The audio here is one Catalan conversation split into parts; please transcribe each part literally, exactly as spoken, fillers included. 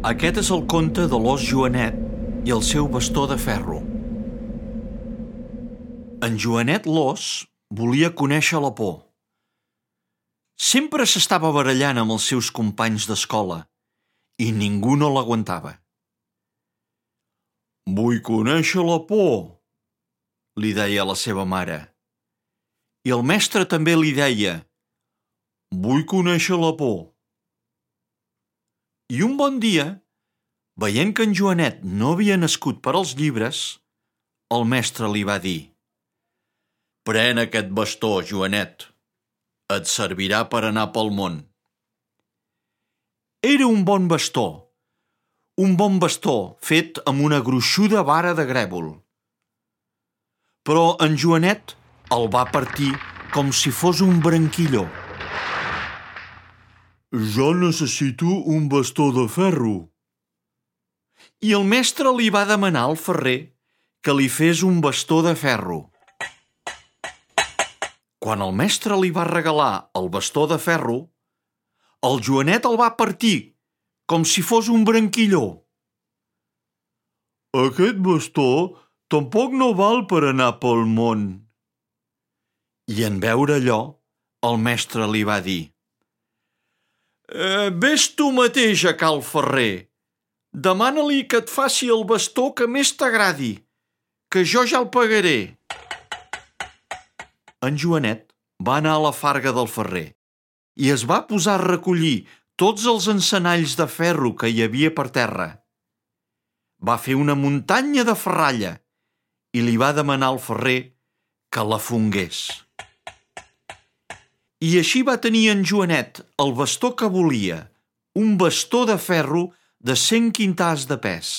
Aquest és el conte de l'ós Joanet i el seu bastó de ferro. En Joanet l'ós volia conèixer la por. Sempre s'estava barallant amb els seus companys d'escola i ningú no l'aguantava. «Vull conèixer la por», li deia la seva mare. I el mestre també li deia «Vull conèixer la por». I un bon dia, veient que en Joanet no havia nascut per als llibres, el mestre li va dir «Pren aquest bastó, Joanet. Et servirà per anar pel món». Era un bon bastó, un bon bastó fet amb una gruixuda vara de grèvol. Però en Joanet el va partir com si fos un branquilló. «Jo necessito un bastó de ferro». I el mestre li va demanar al ferrer que li fes un bastó de ferro. Quan el mestre li va regalar el bastó de ferro, el Joanet el va partir com si fos un branquilló. «Aquest bastó tampoc no val per anar pel món». I en veure allò, el mestre li va dir eh, «Ves tu mateix a cal ferrer. Demana-li que et faci el bastó que més t'agradi, que jo ja el pagaré». En Joanet va anar a la farga del ferrer i es va posar a recollir tots els encenalls de ferro que hi havia per terra. Va fer una muntanya de ferralla i li va demanar al ferrer que la fongués. I així va tenir en Joanet el bastó que volia, un bastó de ferro de cent quintars de pes.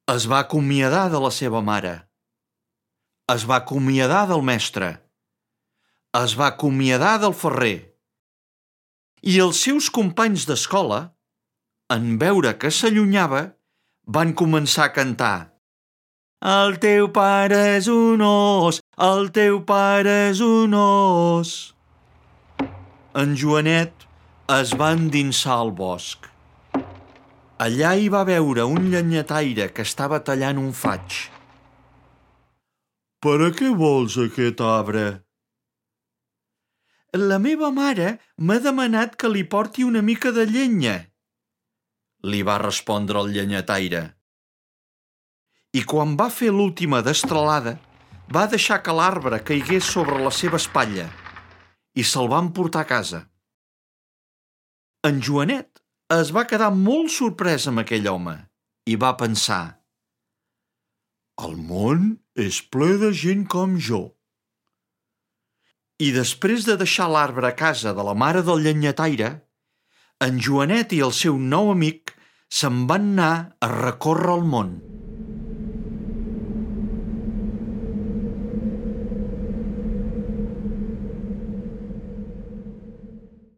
Es va acomiadar de la seva mare. Es va acomiadar del mestre. Es va acomiadar del ferrer. I els seus companys d'escola, en veure que s'allunyava, van començar a cantar «El teu pare és un os, el teu pare és un os». En Joanet es va endinsar al bosc. Allà hi va veure un llenyataire que estava tallant un faig. «Per a què vols aquest arbre?» «La meva mare m'ha demanat que li porti una mica de llenya», li va respondre el llenyataire. I quan va fer l'última destralada, va deixar que l'arbre caigués sobre la seva espatlla i se'l van portar a casa. En Joanet es va quedar molt sorprès amb aquell home i va pensar «El món és ple de gent com jo». I després de deixar l'arbre a casa de la mare del llenyataire, en Joanet i el seu nou amic se'n van anar a recórrer el món.